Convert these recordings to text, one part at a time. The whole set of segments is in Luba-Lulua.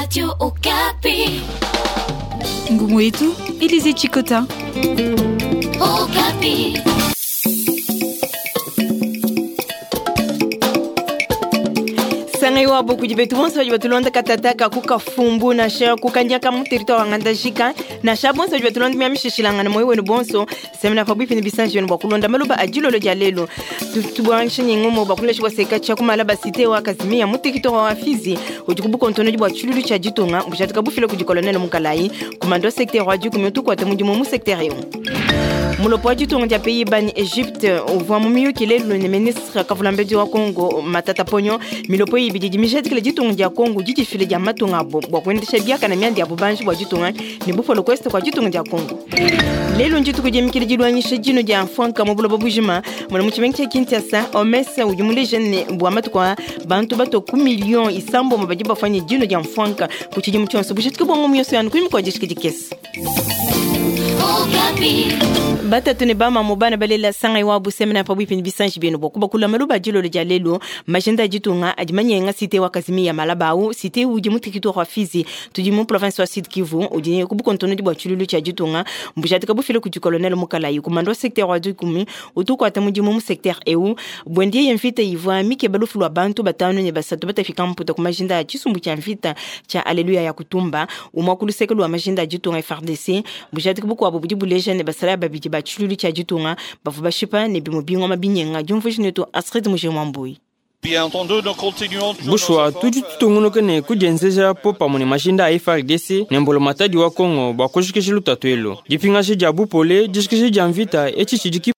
Radio Okapi. Ngumu yetu, Elise Chikota. Okapi. Sangai wabo kudi betu bonso badi batulonda katataka ku kafumbu nansha ku kandiaka mu territoire wa ngandajika nansha bonso badi batulonda miamishishilangana moyo wenu bonso semena pabuipi ne bisanji benu bua kulonda maluba a dilolo dia lelu. Tubuangisha ne ngumu bua kulesha bua seka tshia kumala basite wa kazimia mu territoire wa Fizi udi ku bukontonodi bua tshilulu tshia ditunga bujatika bufile kudi colonel Mukalayi commando secteur wa dikumi utukuata mudimu mu secteur eu. Mulopo wa ditunga dia Pays-Bas ni Egypte uvua mu miyuki lelu ne ministre kavulambedi wa Congo Matata Ponyo. Milopo ibidi idi mijadikile ditunga dia Congo didifile dia matunga abo bua kuendesha biakana mianda ya bubanji bua ditunga ne bupolo kweste kua ditunga dia Congo. Lelu ndituku dia mikili dilwanyisha dino dia mfwanka mu buloba bujima muna mu tshimenga tshia Kinshasa. OMS udi muleje ne bua matuku a bantu bato ku million isambombo badi bafanye dino dia mfwanka ku tshidimu tshionso. Bushituke bua ngomu yonso yanu kudi mukua dishiki dikese. Okapi. Batatu ne bamamu bana balela sangai wa busemena pabuipi ne bisanji benu bua kubakula maluba dilolo dia lelu. Majenda ya ditunga adi manyenga cité wa Kazimia Malabau, cité udi mu territoire wa Fizi tudi mu province wa Sud Kivu udi ku bukontonodi bua tshilulu tshia ditunga mbujadika bufile kudi colonel Mukalayi commando wa secteur wa dikumi utukuata mudimu mu secteur eu. Bwendie mvita ivua mikeba lufu lua bantu batanu ne basatu batafika mputa ku majinda ya tshisumbu tshia mvita tshia Alleluia ya kutumba umwa ku luseke lua majinda ya ditunga FARDC. Bujadika bukuabu budi buleja ne basala babidi ba tshilulu tshia ditunga bavua bashipa ne bimue bingoma binyenga. Diumvuija netu Astrid Mujimwambui. Bushuwa tudi tutungunuka ne kudienzeja po pamue ne majinda a FARDC ne mbolo matadi wa Congo bua kujikija lutatu elu. Dipingaji dia bupole, dijikija dia mvita etshi tshidi ki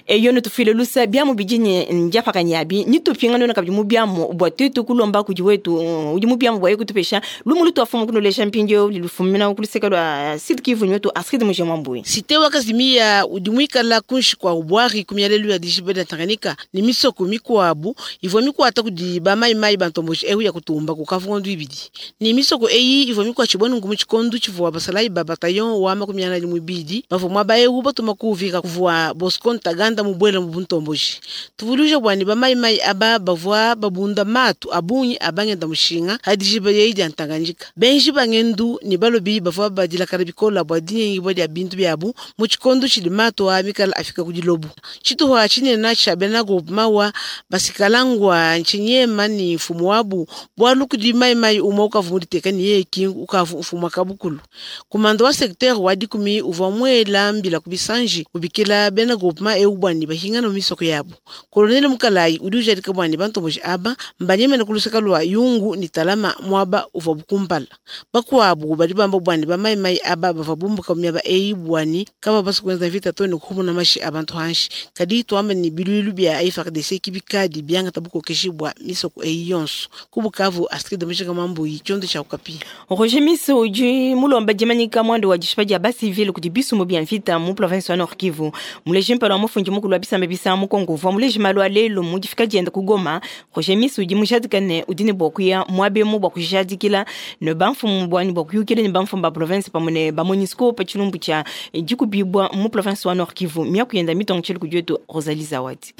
eyo nitufile lusa biamu bidi ne ndiapakanyabi nitupinga nona kabidi mu biamu bua tuetu kulomba kudi wetu udi mu biamu bua ye kutupesha lumu lutuafumu kunulesha mpindieu lilufumina ku luseke lua Sud Kivu nyotu Astrid Mujimwambui. Cité wa Kazimia udi muikala kunshi kwa ubwari kumialelu ya dijiba dia Tanganyika ni misoko mikuabu ivua mikuata kudi ba mai mai bantomboji eu ya kutumba ku kavundu ibidi. Ni misoko eyi ivua mikuatshibua nunku mu tshikondu tshivua basalayi ba bataillon wa makumi anayi muibidi bavua muaba eu batuma kuvika kuvua Bosco Ntaganda mubwela mu buntomboji. Tuvuluja bwani ba mai mai aba bavua babunda matu abunyi abangenda mushinga hadijiba yeyi dia Tanganyika. Benji bangendu ni balobi bavua badilakala bikola bua dinyengi bua dia bintu biabu mu tshikondu tshidi matu a mikala afika ku dilobu. Tshituha tshinene tshia bena groupement wa basikalangwa ntshinyema ni mfumu wabu bualu kudi mai mai umwe ukavu muditeka ni yeye kingu ukavu mfumu wa kabukulu. Kumando wa secteur wa dikumi uvua mwela mbila ku bisanji ubikila bena groupement eu bwani bahingana mu misoko yabo. Colonel Mukalayi udi ujadika bwani bantomboji aba mbanyemene ku luseka lwa Yungu ni Talama mwaba uvua bukumpala. Bakuabu badi bamba bwani ba mai mai aba bavua bumbuka mu miaba eyi bwani kaba basukuenza vita to ne kuhumuna mashi abantu hanshi. Kadi tuamba ni bilulu bia FARDC kibikadi biangata bukokeshi bwa misoko eyi yonso. Ku Bukavu, Astrid Mujinga Mambuyi, tshiondo tshia Okapi. Roger Miso udi mulomba dimanyika mwanda wa dishipa dia basivile kudi bisumu bia mvita mu province wa Nord Kivu. Muleji mpala wa mufundi mukulu wa bisamba bisa mu Congo uvua muleji malu a lelu mu difika dienda ku Goma. Roger Miso udi mujadika ne udi ne bua kuya muabemu bua kujadikila ne bamfumu bwani bua kuyukila ne bamfumu ba province pamue ne ba MONUSCO pa tshilumbu tshia dikubibua mu province wa Nord Kivu. Miaku yenda mitongo tshili kudi wetu Rosalie Zawadi.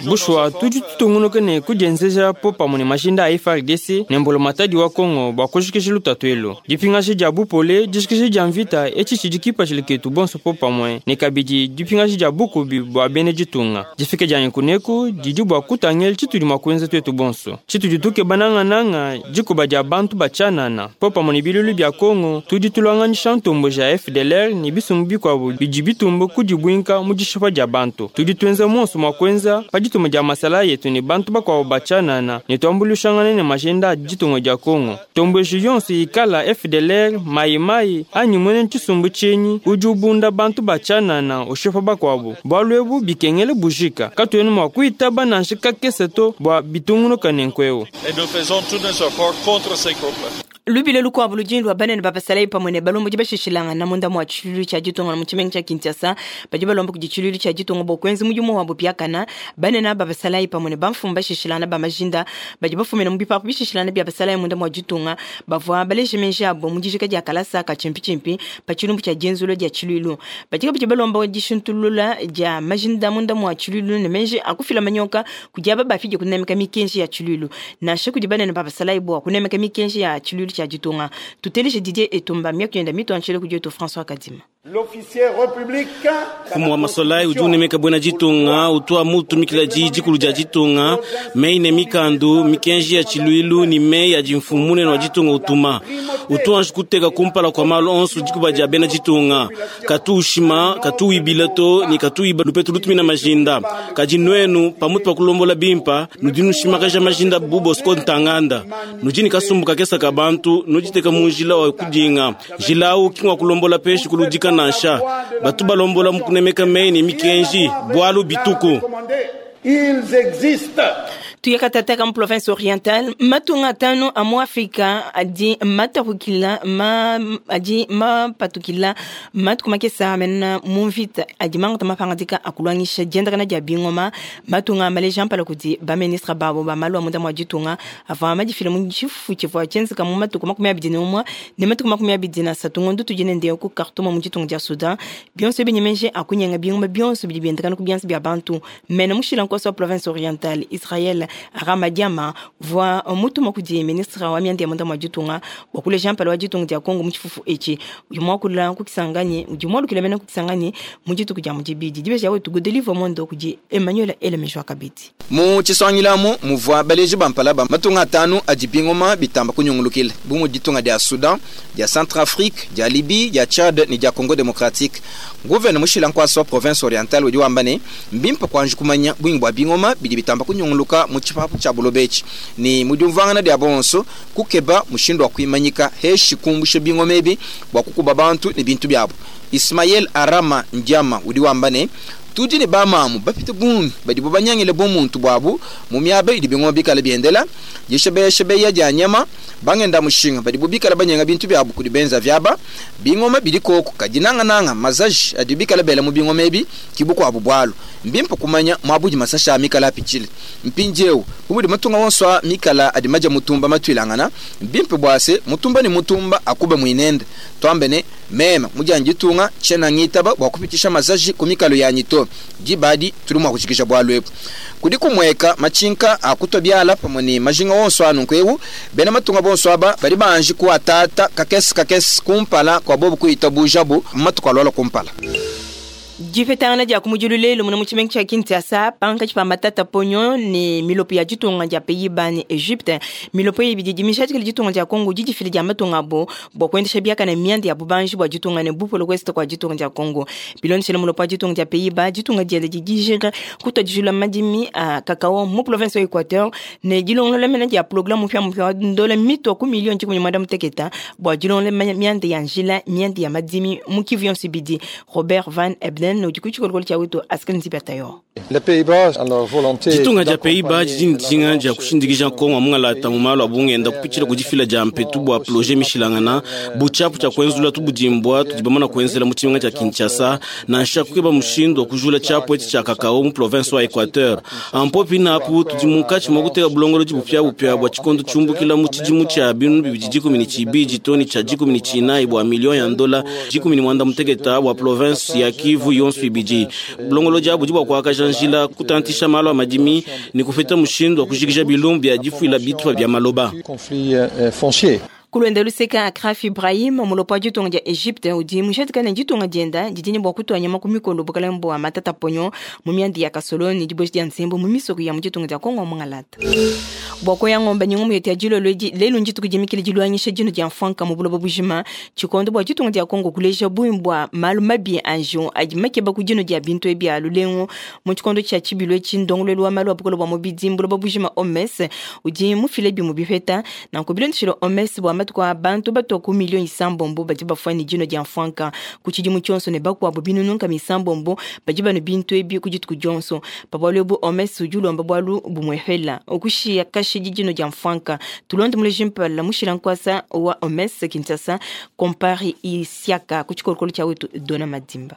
Bushuwa tudi tutungunuka ne kudienzeja po pamue ne majinda a FARDC ne mbolo matadi wa Congo bua kujikija lutatu elu. Dipingaji dia bupole, dijikija dia mvita etshi tshidi kipatshila ketu bonso po pamue ne kabidi dipingaji dia bukubi bua bena ditunga. Difika dia nkuneku didi bua kutangela tshitudi mua kuenza tuetu bonso. Tshitudi tukeba nangananga dikuba dia bantu batshianana po pamue ne bilulu bia Congo tudi tulwanganisha ntomboji ya FDLR ne bisumbu bikuabu bidi bitumba kudibuinka mu dishipa dia bantu. Tudi tuenza monso mua kuenza pa dituma dia masala yetu ne bantu bakuabu batshianana ne tuambuluishangana ne majenda a ditunga dia Congo. Ntomboji yonso ikala FDLR mai mai anyi mwene tshisumbu tshienyi udi ubunda bantu batshianana ushipa bakuabu. Bualu ebu bikengele bujika katuena mua kuitaba nansha kakese to bua bitungunuka ne nkuewu. Et nous faisons tous nos efforts contre ces groupes-là. Lubila lukuabu ludi lua banene ba basalayi pamue ne balombodi bashishilangana munda mua tshiluilu tshia ditunga mu tshimenga tshia Kinshasa. Badi balomba kudi tshiluilu tshia ditunga bua kuenza mudimu wabu biakana. Banene ba basalayi pamue ne bamfumu bashishilangana ba majinda badi bafumina mu bipapu bishishilangana bia basalayi munda mua ditunga bavua baleje meji abu mu dijika dia kalasa ka tshimpitshimpi pa tshilumbu tshia dienzulula dia tshiluilu. Badi kabidi balomba dishintulula dia majinda munda mua tshiluilu ne meji a kufila manyoka kudi aba bafidi kunemeka mikenji ya tshiluilu nansha kudi banene ba basalayi bua kunemeka mikenji ya tshiluilu tshia ditunga. Tuteleje Didier Etumba miaku yenda mituanshile kudi wetu François Kadima. L'officier républicain Mfumu wa masolayi udi unemeka bwena ditunga, utua mutumikila diyi dikulu dia ditunga, meyi ne mikandu, mikenji ya tshiluilu ne meyi adi mfumu munene wa ditunga utuma. Utu anji kuteka kumpala kua malu onso dikuba dia bena ditunga. Katu ushima, katu wibila to ne katu wiba lupetu lutumina majinda. Kadi nuenu, pamutu pa kulombola bimpa, nudi nushimakaja majinda bu Bosco Ntaganda. Nudi ne kasumbu kakesa ka bantu, nuditeka mu njila wa kudinga. Njila awu ki ngua kulombola peshi kuludika nansha. Batu balombola mu kunemeka meyi ne mikenji, bualu bituku. Ils existent. Tuyakatataka mu province orientale matunga atanu a mu Afrika adi matapukila ma adi mapatukila matuku makesa amena mu mvita adi mangata mapangadika a kuluangisha diendakana dia bingoma. Matunga maleja mpala kudi baministre babo ba malu a munda mua ditunga avua madifila mu tshifufu tshivua tshienzeka mu matuku 21 ne matuku 23 ngondo tudi nende ku Khartoum mu ditunga dia Soudan. Bionso ebi ne meji a kunyenga bingoma bionso bidi biendekana ku bianza bia bantu. Mena mushila nkoso wa province orientale Israel Ramadiama uvua mutuma kudi ministre wa mianda ya munda mua ditunga bua kuleja mpala wa ditunga dia Kongo mu tshifufu etshi. Udi muakula ku Kisangani, udi mualukila mena ku Kisangani mu dituku dia mudibidi. Dibeja wetu Godelive Mondo kudi Emmanuel Elemejwa kabidi. Mu tshisangilamu muvua baleji ba mpala ba matunga atanu adi bingoma bitamba kunyungulukila bu mudi ditunga dia Soudan, dia Centrafrique, dia Libye, dia Tchad ne dia Congo démocratique. Gouverneur mushila nkuasa wa province orientale udi wamba ne mbimpe kuanji kumanya bungi bua bingoma bidi bitamba kunyunguluka mu tshipapu tshia buloba etshi ne mu diumvuangana dia bonso kukeba mushindu wa kuimanyika heshi kumbusha bingoma ebi bua kukuba bantu ne bintu biabu. Ismael Arama Ndiama udi wamba ne tudi ne bamamu bapite bungi badibo banyangile bumuntu buabu mu miaba idi bingoma bikala biendela dishebeya dia nyama bangenda mushinga badibo bikala banyenga bintu biabu kudi benza vyaba bingoma bidi koko kadinangananga mazaji adi bikala bela mu bingoma ebi kibukwabu bwalu mbimpe kumanya mwabudi masasha mikala apichile mpinjeu bumudi matunga wonswa mikala adi maja mutumba matwilangana mbimpe bwase mutumba ni mutumba akube mwinende twambe ne mema mujanji tunga chena ngitaba bwa kupitisha mazaji kumikalo ya nyito dibadi tuli mwa kushikisha bwalu ebu kudi kumweka machinka akutwa byala pamwe ni majinga wonso anu nkwewu bena matunga bonso aba bali banji kuatata kakesi kakesi kumpala kwa bobu kuita bujabu matuka lwala kumpala. Dipetangana dia kumudilu lelu muna mu tshimenga tshia Kinshasa pankatshi pa matata ponyo ne milopo ya ditunga dia Pays-Bas ne Egypte. Milopo eyi bidi dimishadikile ditunga dia Congo didifile dia matunga abo bua kuendesha biakane mianda ya bubanji bua ditunga ne bupolo kuest kua ditunga dia Congo. Bilondeshele mulopo wa ditunga dia Pays-Bas, ditunga diende didijika kutua dijula madimi a kakao mu province wa Equateur ne dilongolola mena dia programme mupia mupia wa ndola mitwa ku million dikumi ne muanda muteketa bua dilongolola mianda ya njila mianda ya madimi mu Kivu yonso ibidi. Robert Van Ebden udi ku tshikolokolo tshia wetu Askel Nzibatayo. Les Pays-Bas, alors volonté ditunga dia Pays-Bas didi ne dijinga dia kushindikija Kongo mungalata mu malu a bungenda kupitshila ku difila dia mpetu bua projet mishilangana butshiapu tshia kuenzula tubudimbua tudi bamana kuenzela mu tshimenga tshia Kinshasa nansha kukeba mushindu wa kujula tshiapu etshi tshia kakao mu province wa Equateur. Ampopi napu tudi munkatshi mua kuteka bulongolodi bupiabupia bua tshikondo tshiumbukila mu tshidimu tshia binu bibidi dikumi ne tshibidi too ne tshia dikumi ne tshinayi bua million ya ndola dikumi ne muanda muteketa bua province ya Kivu yonso ibidi. Bulongolodi abu budi bua kuakaja njila kutantisha malu a madimi ne kupeta mushindu wa kujikija bilumbu bia difuila bitupa bia maloba. Conflit foncier. Kulwenda luseka Akraf Ibrahim mulopo wa ditunga dia Egypte udi mushatikane ditunga dienda didi ne bua kutua nyama ku mikolo bukalenge bua matata ponyo mu mianda ya Kasolo ne diboshi dia nsembo mu misoko ya mu ditunga dia Kongo mungalata. Bua koya ngombe ni ngumu yetu ya dilolo edi lelu ndituku dimikile diluangisha dino dia mfanka mu buloba bujima tshikondo bua ditunga dia Kongo kuleja bungi bua malu mabi a njiwu adi makeba ku dino dia bintu ebi a lulengu mu tshikondo tshia tshibilu etshi ndongoluelu wa malu a bukole bua mubidi buloba bujima OMS udi mufile bimue bipeta nanku bilondeshile OMS bua Matuku a bantu batua ku miliyo isambombo badi bafua ne dinua dia mfuanka ku tshidimu tshionso ne bakuabu binunu nkama isambombo badi banua bintu ebi ku dituku dionso. Pa bualu ebu OMS udi ulomba bualu bumuepela, kushiya kashidi dinua dia mfuanka. Tulonde muleji mpala mushila nkuasa wa OMS Kinshasa, Kompare Isiaka ku tshikolokolo tshia wetu Dona Madimba.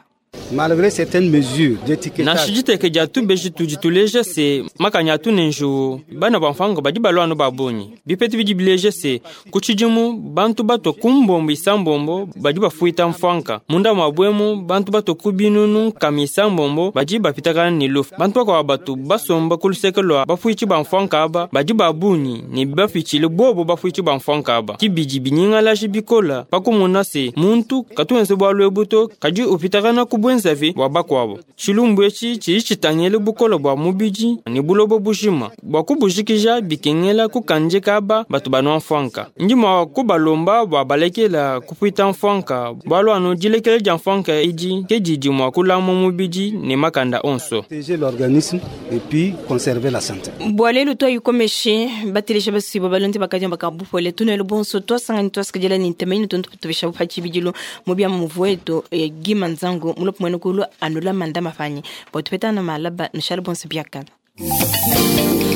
Malgré certaines mesures d'étiquetage, Nansha diteke dia tubeji tudi tuleja se makanya atu ne njuwu, bana ba mfuanka badi balua anu ba bungi. Bipeta bidi bileja se ku tshidimu bantu batua ku mbombo isambombo badi bafuita mfuanka. Munda mua buemu bantu batua ku binunu nkama isambombo badi bapitakana ne lufu. Bantu bakuabu batu basomba ku luseke lua bafuitshi ba mfuanka aba badi ba bungi ne bapitshile bobo bafuitshi ba mfuanka aba. Ke bidi binyingalaji bikola pa kumona se muntu katu wenza bualu ebu to, kadi upitakana ku buenzavi bua bakuabu. Tshilumbu etshi tshidi tshitangila bukole bua mubidi ne buloba bujima. Bua kubujikija bikengela kukandika aba batu banua mfuanka. Ndi mua kubalomba bua balekela kupuita mfuanka, bualu anu dilekela dia mfuanka edi ke didi mua kulama mubidi ne makanda onso. Protéger l'organisme et puis conserver la santé. Bua lelu tuayikomeshe bateleja basuibua balonde bakadiomba ka bupole tunelu bonso tuasangani tuasikadila ne ntema inu tuntu tubesha pa tshibidilu mu bia muvu wetu gima nzangu mulopo muena kulu anula manda mafanyi bua tupetana malaba nushala bonso biakana.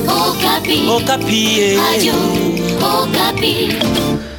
Okapi. Okapi. Radio Okapi.